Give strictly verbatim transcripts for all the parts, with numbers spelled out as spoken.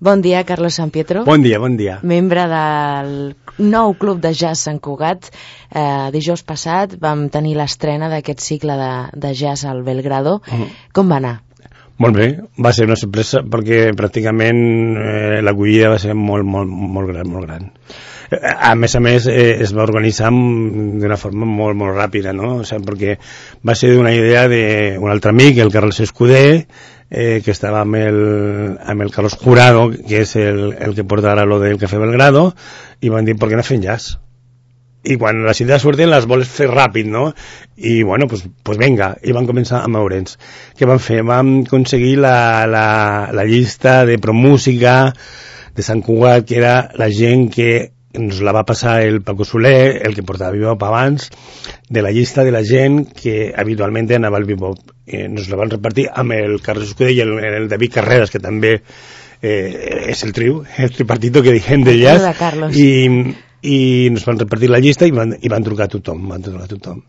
Bon dia, Carlos Sampietro. Bon dia, bon dia. Membre del nou club de jazz Sant Cugat. Eh, dijous passat vam tenir l'estrena d'aquest cicle de, de jazz al Belgrado. Mm. Com va anar? Molt bé, va ser una sorpresa perquè pràcticament eh, l'acollida va ser molt, molt, molt gran, molt gran. A més a més, eh, es va organitzar d'una forma molt, molt ràpida, no? O sigui, perquè va ser una idea d'un altre amic, el Carles Escudé, eh, que estava amb el, amb el Carlos Jurado, que és el, el que porta ara lo del Café Belgrado, i van dir, per què no fem jazz? I quan les idees surten les vols fer ràpid, no? I bueno, pues, pues venga, i van començar a moure'ns. Què van fer? Vam aconseguir la, la, la llista de promúsica de Sant Cugat, que era la gent que ens la va passar el Paco Soler, el que portava Bebop abans, de la llista de la gent que habitualment anava al Bebop. Eh, nos la van repartir amb el Carles Escudé i el, el David Carreras, que també eh, és el triu, el tripartito que diem de jazz. I, i nos van repartir la llista i van, i van trucar a tothom, van trucar a tothom.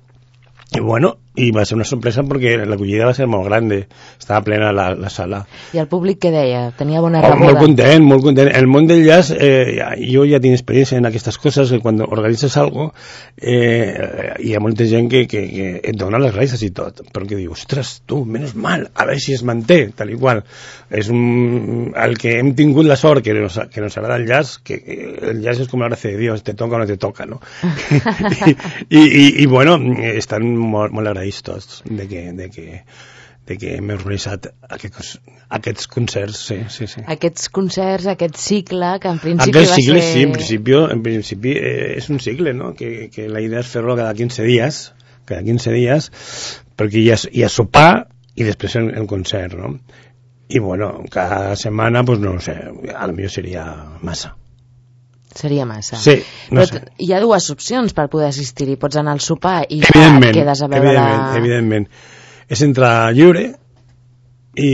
I bueno, i va ser una sorpresa perquè l'acollida va ser molt gran, estava plena la, la sala. I el públic què deia? Tenia bona oh, rebuda? Molt content, molt content. El món del jazz, eh, jo ja tinc experiència en aquestes coses, que quan organitzes algo eh, hi ha molta gent que, que, que et dona les gràcies i tot, però que diu, ostres, tu, menys mal, a veure si es manté, tal i qual. És un, el que hem tingut la sort que nos, que nos agrada el jazz, que el jazz és com la gràcia de Dios, te toca o no te toca, no? I, i, i, i bueno, estan molt, molt agraïts tots de que, de que, de que hem organitzat aquests, aquests concerts, sí, sí, sí. Aquests concerts, aquest cicle, que en principi aquest va cicle, ser... sí, en principi, en principi eh, és un cicle, no? Que, que la idea és fer-lo cada quinze dies, cada quinze dies, perquè hi ha, hi ha sopar i després el, el concert, no? I bueno, cada setmana, pues no sé, a lo millor seria massa. Seria massa. Sí, no però sé. Hi ha dues opcions per poder assistir-hi. Pots anar al sopar i ja et quedes a veure evidentment, la... Evidentment, és entrar lliure i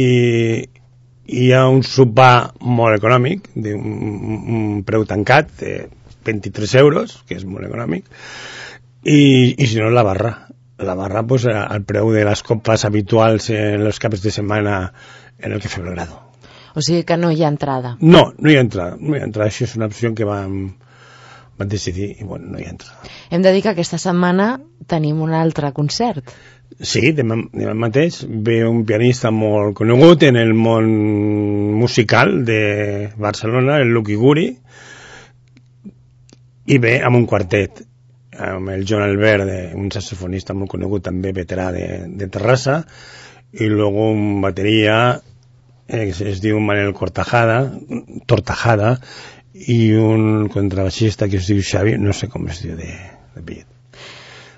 hi ha un sopar molt econòmic, d'un un preu tancat, de vint-i-tres euros, que és molt econòmic, i, i si no, la barra. La barra, pues, al preu de les copes habituals en els caps de setmana en el Café Belgrado. O sigui que no hi ha entrada. No, no hi ha entrada. No hi ha entrada. Això és una opció que vam, vam decidir i bueno, no hi ha entrada. Hem de dir que aquesta setmana tenim un altre concert. Sí, demà, demà mateix ve un pianista molt conegut en el món musical de Barcelona, el Lucky Guri, i ve amb un quartet, amb el John Albert, un saxofonista molt conegut també, veterà de, de Terrassa, i luego un bateria eh, que es diu Manel Cortajada, Tortajada, i un contrabaixista que es diu Xavi, no sé com es diu de, de pillet.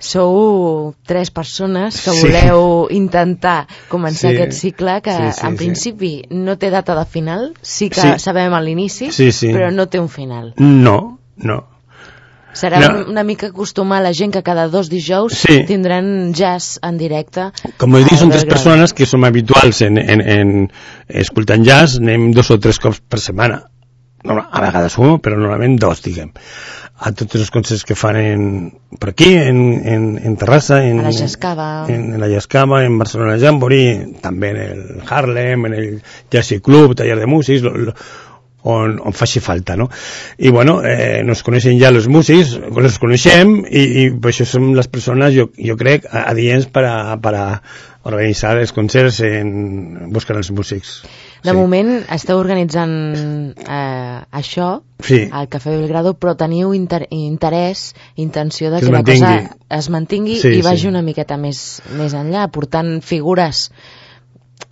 Sou tres persones que voleu sí. intentar començar sí. aquest cicle que sí, sí, en principi sí. no té data de final, sí que sí. sabem a l'inici, sí, sí. però no té un final. No, no. Serà no. una mica acostumar a la gent que cada dos dijous sí. tindran jazz en directe. Com he dit, són tres persones que som habituals en, en, en escoltant jazz, anem dos o tres cops per setmana. No, a vegades un, però normalment dos, diguem. A tots els concerts que fan en, per aquí, en, en, en Terrassa, en, a la Jascava, en, en la Jascava, en Barcelona Jamboree, també en el Harlem, en el Jazzy Club, taller de músics, lo, lo, on, on faci falta, no? I bueno, eh, nos coneixen ja els músics, els coneixem i, i per això som les persones, jo, jo crec, adients per a, per a organitzar els concerts en buscar els músics. De sí. moment esteu organitzant eh, això sí. al Café Belgrado, però teniu inter interès, intenció de que, que la cosa es mantingui sí, i vagi sí. una miqueta més, més enllà, portant figures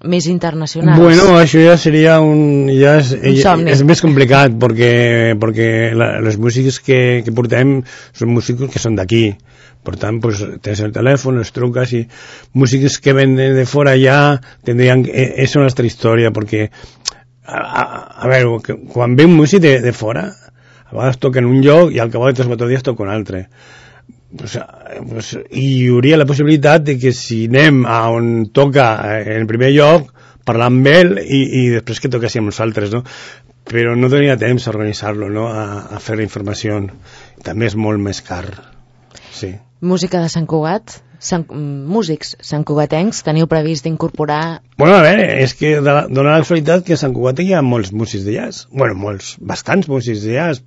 més internacionals. Bueno, això ja seria un, ja és, un somni. És més complicat perquè, perquè la, les músics que, que portem són músics que són d'aquí. Per tant, pues, tens el telèfon, els truques i músics que venen de fora ja tindrien... És una altra història perquè a, a, a veure, quan ve un músic de, de fora a vegades toca en un lloc i al cap de tres o quatre dies toca un altre. Pues, pues, i hi hauria la possibilitat de que si anem a on toca en el primer lloc parlar amb ell i, i després que toquéssim nosaltres, no? Però no tenia temps a organitzar-lo, no? a, a fer informació. També és molt més car. Sí. Música de Sant Cugat, Sant, músics santcugatencs, teniu previst incorporar... Bueno, a veure, és que dona la casualitat que a Sant Cugat hi ha molts músics de jazz. Bueno, molts, bastants músics de jazz.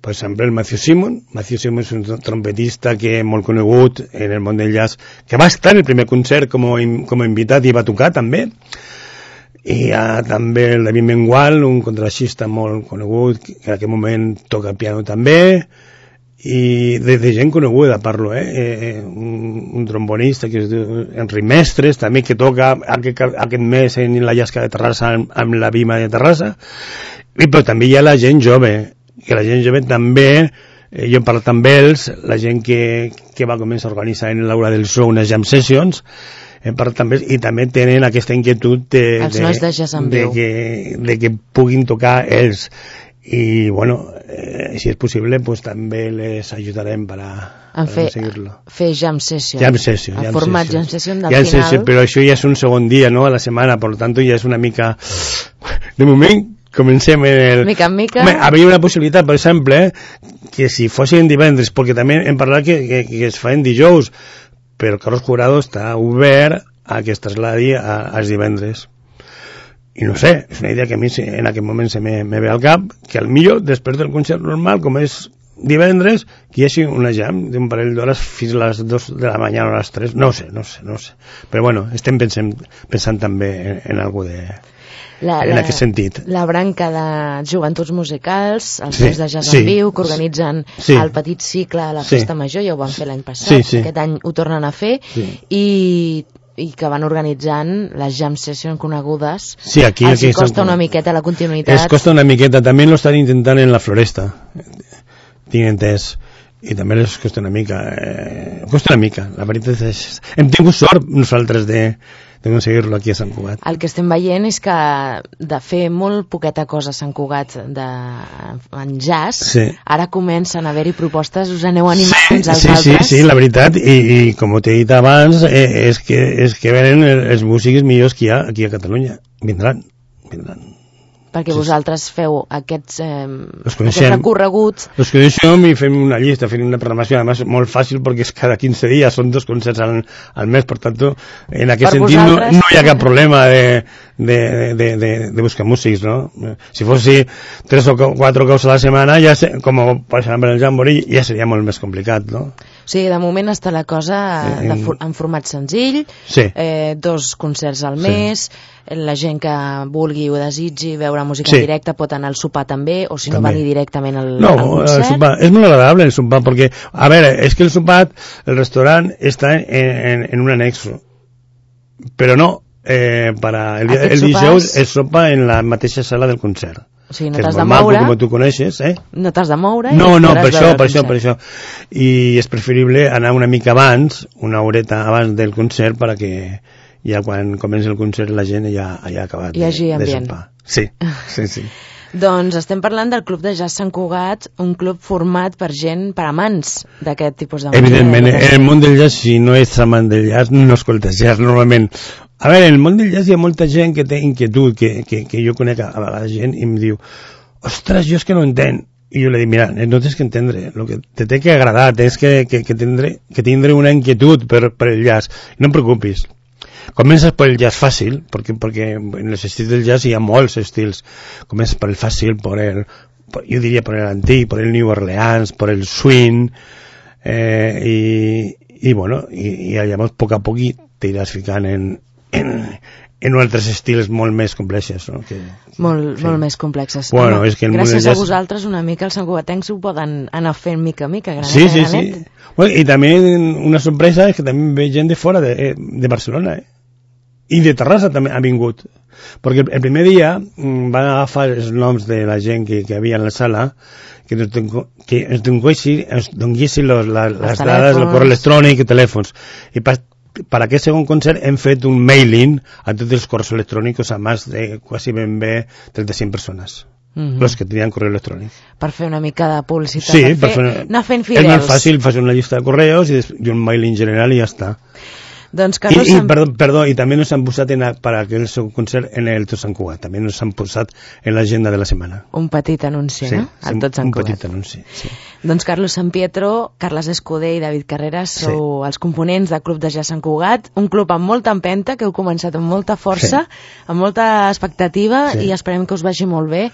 Per exemple, el Matthew Simon. Matthew Simon és un trompetista que és molt conegut en el món del jazz, que va estar en el primer concert com a, com a invitat i va tocar també. I hi ha també el David Mengual, un contrabaixista molt conegut, que en aquell moment toca piano també, i de, de gent coneguda parlo, eh? eh un, un trombonista que es diu Enric Mestres, també, que toca aquest, aquest mes en la Llasca de Terrassa amb, amb la Vima de Terrassa. I però també hi ha la gent jove, que la gent jove també, eh, jo he parlat amb ells, la gent que, que va començar a organitzar en l'Aula del So unes jam sessions, he parlat amb ells, i també tenen aquesta inquietud de, els nois de jazz en de, viu, que, de que puguin tocar ells. I bueno, eh, si és possible pues també les ajudarem per a, en per fer, aconseguir-lo. Fer jam session, jam session el jam format session. jam session del jam final session, però això ja és un segon dia, no?, a la setmana, per tant ja és una mica de moment comencem en el... mica en mica. Home, havia una possibilitat, per exemple, que si fossin divendres, perquè també hem parlat que, que, que es fan dijous, però Carlos Jurado està obert a que es trasladi a, als divendres. I no sé, és una idea que a mi en aquest moment se me, me ve al cap, que al millor, després del concert normal, com és divendres, que hi hagi una jam d'un parell d'hores fins a les dues de la mañana o a les tres, no sé, no sé, no sé. Però bueno, estem pensant, pensant també en, en alguna de... La, en la, aquest sentit. La branca de joventuts musicals, els sí, nois de jazz sí, en viu, que organitzen sí, el petit cicle a la festa sí, major, ja ho van fer l'any passat, sí, sí, aquest any ho tornen a fer, sí, i, i que van organitzant les jam sessions conegudes. Sí, aquí, els aquí costa una miqueta la continuïtat. Es costa una miqueta, també lo estan intentant en la Floresta, tinc entès, i també les costa una mica, eh, costa una mica, la veritat és... Hem tingut sort nosaltres de... de aconseguir-lo aquí a Sant Cugat. El que estem veient és que de fer molt poqueta cosa a Sant Cugat de, en jazz, sí, ara comencen a haver-hi propostes, us aneu animant sí, uns als sí, altres. Sí, sí, la veritat, i, i com t'he dit abans, eh, és, que, és que venen els músics millors que hi ha aquí a Catalunya. Vindran, vindran. Perquè sí, vosaltres feu aquests, eh, aquests recorreguts. Els coneixem i fem una llista, fem una programació, además molt fàcil perquè és cada quinze dies, són dos concerts al, al mes, per tant, en aquest per sentit no, no hi ha cap problema de, de, de, de, de buscar músics, no? Si fossi tres o quatre cops a la setmana, ja sé, com per exemple el Jamboree, ja seria molt més complicat, no? O sigui, de moment està la cosa de, en format senzill, sí, eh, dos concerts al mes, sí, la gent que vulgui o desitgi veure música sí, en directe pot anar al sopar també, o si també no venir directament al, no, al concert. El sopar, és molt agradable el sopar, perquè, a veure, és que el sopar, el restaurant està en, en, en un anexo, però no, eh, para el, el dijous es sopa en la mateixa sala del concert. O sigui, no t'has de moure, com tu coneixes, eh? No t'has de moure. No, no, per això, per això, per això. I és preferible anar una mica abans, una horeta abans del concert, perquè ja quan comença el concert la gent ja, ja ha acabat de, de sopar. Sí, sí, sí. Doncs estem parlant del Club de Jazz Sant Cugat, un club format per gent, per amants d'aquest tipus de música. Evidentment, en el món del jazz, si no ets amant del jazz, no escoltes jazz normalment. A veure, en el món del jazz hi ha molta gent que té inquietud, que, que, que jo conec a, a vegades gent i em diu, ostres, jo és que no entenc. I jo li dic, mira, no tens que entendre, el que te té que agradar, tens que, que, que, tindre, que tindre una inquietud per, per el jazz. No em preocupis. Comences per el jazz fàcil, perquè, perquè en els estils del jazz hi ha molts estils. Comences per el fàcil, per el, per, jo diria per l'antic, per el New Orleans, per el swing, eh, i, i bueno, i, i llavors a poc a poc t'iràs ficant en, en, en altres estils molt més complexes, no? Que, molt, sí, molt més complexes. Bueno, Home, és que gràcies jazz... a vosaltres una mica els santcugatencs ho poden anar fent mica a mica, granet sí, a sí, granet. Sí. Bueno, i també una sorpresa és que també ve gent de fora de, de Barcelona, eh? I de Terrassa també ha vingut, perquè el primer dia van agafar els noms de la gent que, que havia en la sala, que ens, que ens donguessin les dades del correu electrònic i telèfons, i per, per aquest segon concert hem fet un mailing a tots els correus electrònics a més de quasi ben bé trenta-cinc persones. Mm-hmm. Los que tenien correu electrònic. Per fer una mica de publicitat, sí, per fer, fer, anar fent fidels. És més fàcil, fas una llista de correus i, i un mailing general i ja està. Doncs Carlos... I, i, perdó, perdó, i també nos han posat en, per aquell seu concert en el Tot Sant Cugat, també nos han posat en l'agenda de la setmana. Un petit anunci, sí, no? Al Tot Sant un Cugat. petit anunci, sí. Doncs Carlos San Pietro, Carles Escudé i David Carreras sou sí. els components del Club de Jazz Sant Cugat, un club amb molta empenta, que heu començat amb molta força, sí. amb molta expectativa, sí. i esperem que us vagi molt bé,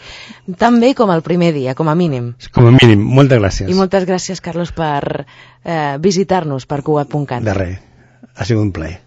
tan bé com el primer dia, com a mínim. Com a mínim, moltes gràcies. I moltes gràcies, Carlos, per eh, visitar-nos per Cugat punt cat. De res, ha sigut un plaer.